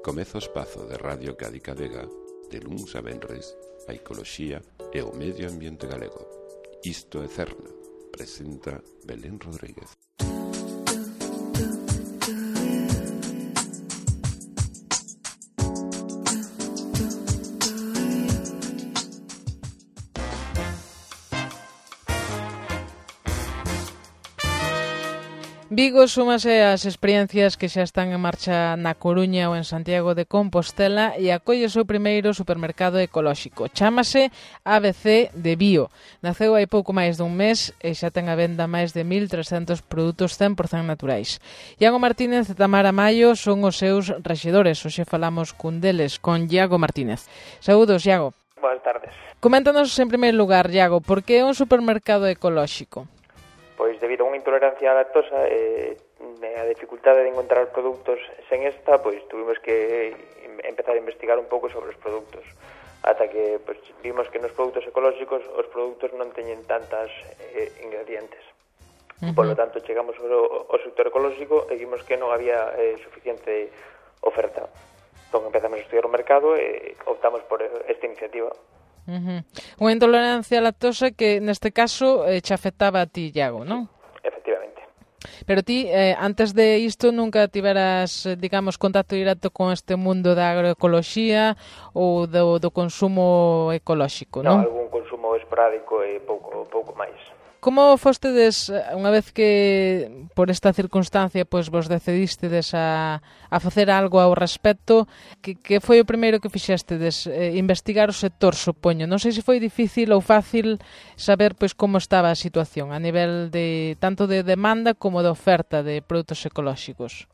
Comeza o espazo de Radio Cádiz Vega de luns a venres, a ecoloxía e o medio ambiente galego. Isto é Cerna, presenta Belén Rodríguez. Vigo súmase ás experiencias que xa están en marcha na Coruña ou en Santiago de Compostela e acolle o seu primeiro supermercado ecolóxico. Chámase ABC de Bio. Naceu hai pouco máis dun mes e xa ten a venda máis de 1.300 produtos 100% naturais. Iago Martínez e Tamara Maio son os seus rexedores. Hoxe falamos cun deles, con Iago Martínez. Saúdos, Iago. Boas tardes. Coméntanos en primeiro lugar, Iago, por que é un supermercado ecolóxico? Pois debido a unha intolerancia á lactosa e a dificultade de encontrar produtos sen esta, pois tuvimos que empezar a investigar un pouco sobre os produtos ata que pois, vimos que nos produtos ecolóxicos os produtos non teñen tantas ingredientes. Por lo tanto, chegamos ao sector ecolóxico e vimos que non había suficiente oferta. Entón empezamos a estudiar o mercado e optamos por esta iniciativa. Unha intolerancia á lactosa que neste caso te afectaba a ti, Iago, non? Efectivamente. Pero ti, antes de isto, nunca tiveras, digamos, contacto directo con este mundo da agroecoloxía ou do consumo ecolóxico, non? Non, algún consumo esporádico e pouco máis. Como fostedes, unha vez que por esta circunstancia pois vos decidistedes a facer algo ao respecto, que foi o primeiro que fixestedes? Investigar o sector, supoño. Non sei se foi difícil ou fácil saber pois como estaba a situación a nivel de tanto de demanda como de oferta de produtos ecolóxicos.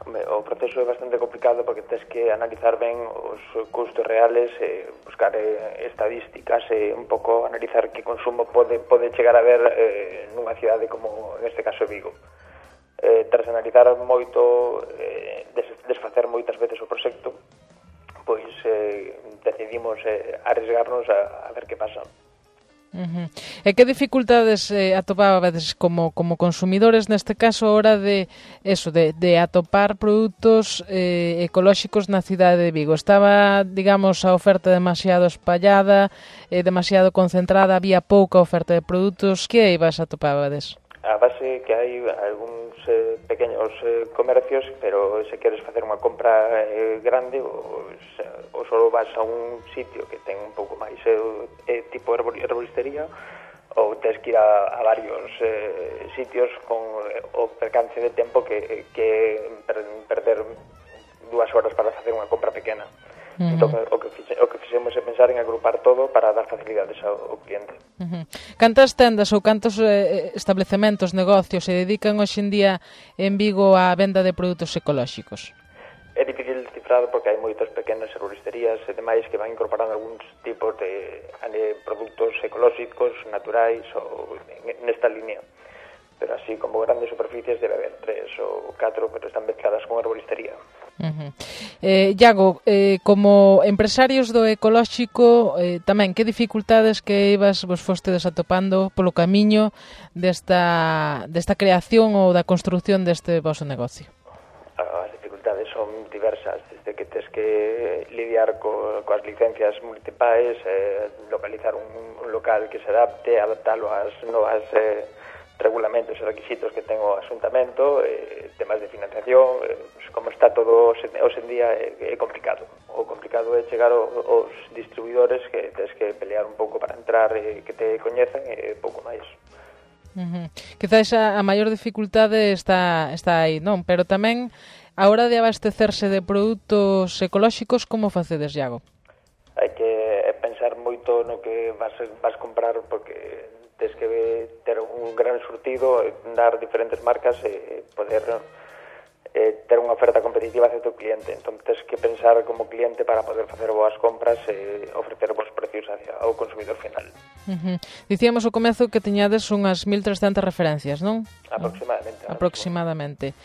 O proceso é bastante complicado porque tens que analizar ben os custos reales, buscar estadísticas e un pouco analizar que consumo pode chegar a ver nunha cidade como neste caso Vigo. Tras analizar moito, desfacer moitas veces o proxecto, pois decidimos arriesgarnos a ver que pasa. E que dificultades atopabades como consumidores neste caso a hora de atopar produtos ecolóxicos na cidade de Vigo? Estaba, digamos, a oferta demasiado espallada, demasiado concentrada, había pouca oferta de produtos, que ibas atopabades? A base que hai algúns pequenos comercios, pero se queres facer unha compra grande ou só vas a un sitio que ten un pouco máis tipo herboristería ou tens que ir a varios sitios con o percance de tempo que perder 2 horas para facer unha compra pequena. Entón, o que fixemos é pensar en agrupar todo para dar facilidades ao cliente. Cantas tendas ou cantos establecementos, negocios se dedican hoxe en día en Vigo á venda de produtos ecolóxicos? É difícil cifrado porque hai moitas pequenas herboristerías e demais que van incorporando algúns tipos de produtos ecolóxicos, naturais ou nesta línea. Pero así como grandes superficies debe haber 3 ou 4, pero están mezcladas con herboristería. Iago, como empresarios do ecolóxico, tamén, que dificultades que vos fostedes atopando polo camiño desta creación ou da construción deste vosso negocio? As dificultades son diversas, desde que tens que lidiar coas licencias municipais, localizar un local que se adapte, adaptalo ás novas regulamentos e requisitos que ten o Asuntamento, temas de financiación, como está todo hoxe en día é complicado. O complicado é chegar aos distribuidores que tens que pelear un pouco para entrar e que te coñecen e pouco máis. Quizás a maior dificultade está aí, non? Pero tamén a hora de abastecerse de produtos ecolóxicos, como facedes, Iago? Hai que pensar moito no que vas comprar porque tens que ter un gran surtido, dar diferentes marcas e poder ter unha oferta competitiva hacia o teu cliente. Entón, tens que pensar como cliente para poder facer boas compras e ofrecer bons precios ao consumidor final. Dicíamos ao comezo que teñades unhas 1.300 referencias, non? Aproximadamente.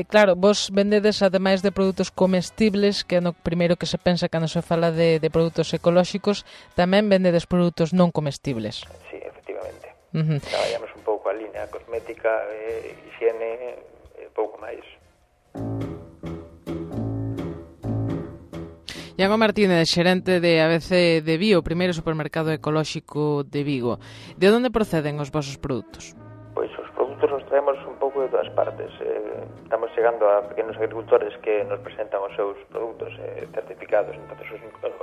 Claro, vos vendedes, ademais de produtos comestibles, que é no primeiro que se pensa cando se fala de produtos ecolóxicos, tamén vendedes produtos non comestibles. Sí, efectivamente. Traballamos un pouco a línea cosmética, higiene e pouco máis. Iago Martínez, xerente de ABC de Bio, o primeiro supermercado ecolóxico de Vigo. De onde proceden os vosos produtos? Pois os produtos nos traemos un pouco de todas partes. Estamos chegando a pequenos agricultores que nos presentan os seus produtos certificados, entón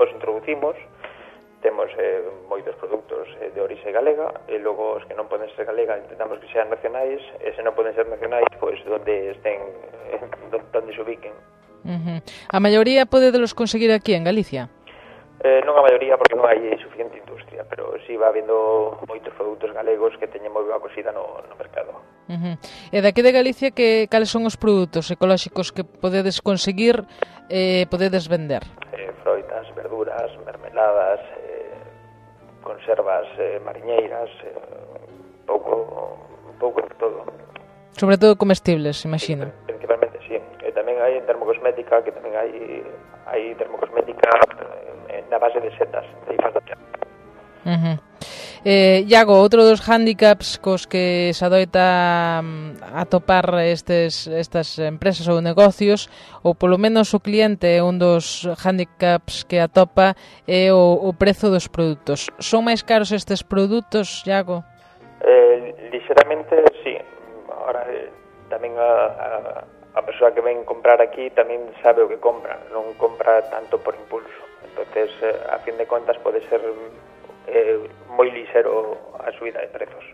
os introducimos. Temos moitos produtos de orixe galega e logo os que non poden ser galega intentamos que sean nacionais e se non poden ser nacionais, pois onde estén, onde se ubiquen. A maioría podedelos conseguir aquí en Galicia? Non a maioría porque non hai suficiente industria, pero si va habendo moitos produtos galegos que teñen moi boa acogida no mercado. E daqui de Galicia, cales son os produtos ecolóxicos que podedes conseguir e podedes vender? Froitas, verduras, mermeladas, conservas mariñeiras, un pouco de todo. Sobre todo comestibles, imagino. Sí, principalmente, sí. E tamén hai termocosmética, que tamén hai termocosmética na base de setas, de hifas da terra. Iago, outro dos hándicaps cos que se adoita atopar estas empresas ou negocios, ou polo menos o cliente é un dos hándicaps que atopa, é o prezo dos produtos. Son máis caros estes produtos, Iago? Lixeramente, sí. Ahora, tamén a persoa que ven comprar aquí tamén sabe o que compra, non compra tanto por impulso. Entonces, a fin de contas, pode ser moi lixero a subida de prezos.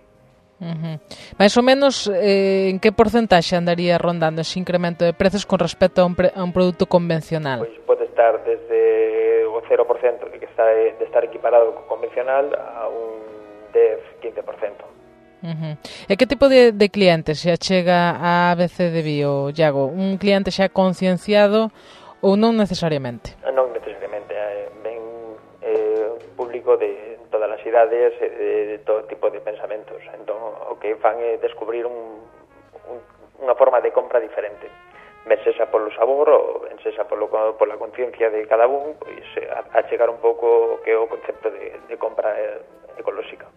Mais ou menos, en que porcentaxe andaría rondando ese incremento de prezos con respecto a un produto convencional? Pois pode estar desde o 0% de estar equiparado co convencional a un 10-15%. E que tipo de cliente se achega a ABC de Bio, Iago? Un cliente xa concienciado ou non necesariamente? Non necesariamente, ven público de todas as idades e de todo tipo de pensamentos. Entón, o que fan é descubrir unha forma de compra diferente. Ben sexa polo sabor ou ben sexa pola conciencia de cada un, pois a chegar un pouco que é o concepto de compra ecolóxica.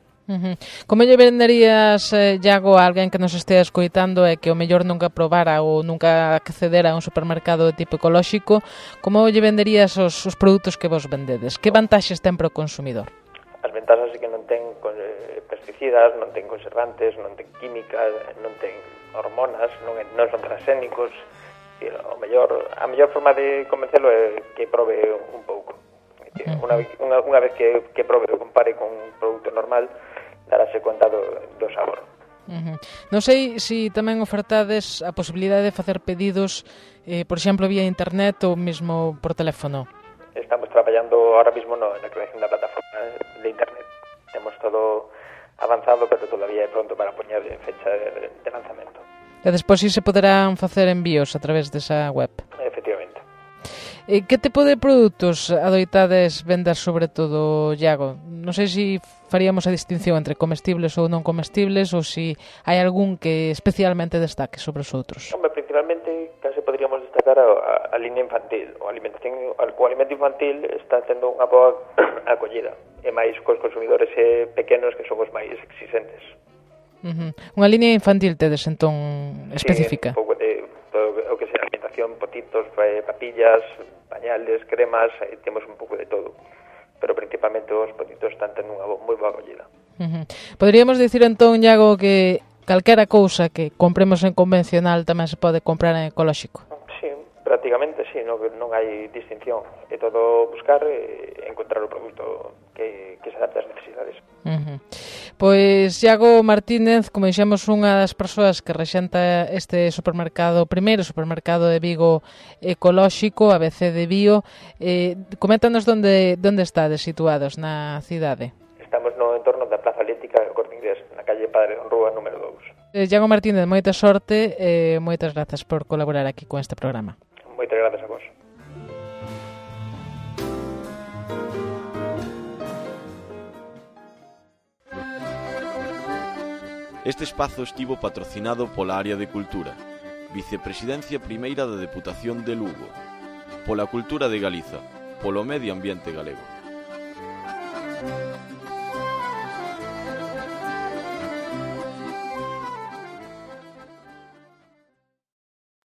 Como lle venderías, Iago, a alguén que nos estea escoitando e que o mellor nunca probara ou nunca accedera a un supermercado de tipo ecolóxico, como lle venderías os produtos que vos vendedes? Que vantaxes ten para o consumidor? As ventaxas é que non ten pesticidas, non ten conservantes, non ten químicas, non ten hormonas, non son transgénicos. A mellor forma de convencelo é que probe un pouco. Unha vez que probe o compare con un produto normal, darase conta do sabor. Non sei se tamén ofertades a posibilidade de facer pedidos, por exemplo, vía internet ou mesmo por teléfono. Estamos traballando ahora mismo na creación da plataforma de internet. Temos todo avanzado, pero todavía é pronto para poñer fecha de lanzamento. E despois si se poderán facer envíos a través desa web. Efectivamente. Que tipo de produtos adoitades vender sobre todo, Iago? Non sei se faríamos a distinción entre comestibles ou non comestibles ou se hai algún que especialmente destaque sobre os outros. Principalmente, case poderíamos destacar a línea infantil. O alimento infantil está tendo unha boa acollida, e máis cos consumidores pequenos que son os máis exigentes. Unha línea infantil tedes, entón, específica? Sí, un pouco de todo o que sea alimentación, potitos, papillas, pañales, cremas, temos un pouco de todo. Pero principalmente os potitos están tendo unha moi boa acollida. Poderíamos dicir entón, Iago, que calquera cousa que compremos en convencional tamén se pode comprar en ecolóxico? Sí, prácticamente sí, non hai distinción. É todo buscar e encontrar o produto que se adapte ás necesidades. Pois Iago Martínez, como dixemos, unha das persoas que rexenta este supermercado, o primeiro supermercado de Vigo ecolóxico, ABC de Bio. Coméntanos onde estades situados na cidade. Estamos no entorno da Plaza Atlética do Corte Inglés, na calle Padre Don Rúa, número 2. Iago Martínez, moita sorte e moitas grazas por colaborar aquí con este programa. Moitas grazas a vos. Este espazo estivo patrocinado pola Área de Cultura, Vicepresidencia Primeira da Deputación de Lugo, pola Cultura de Galiza, polo Medio Ambiente Galego.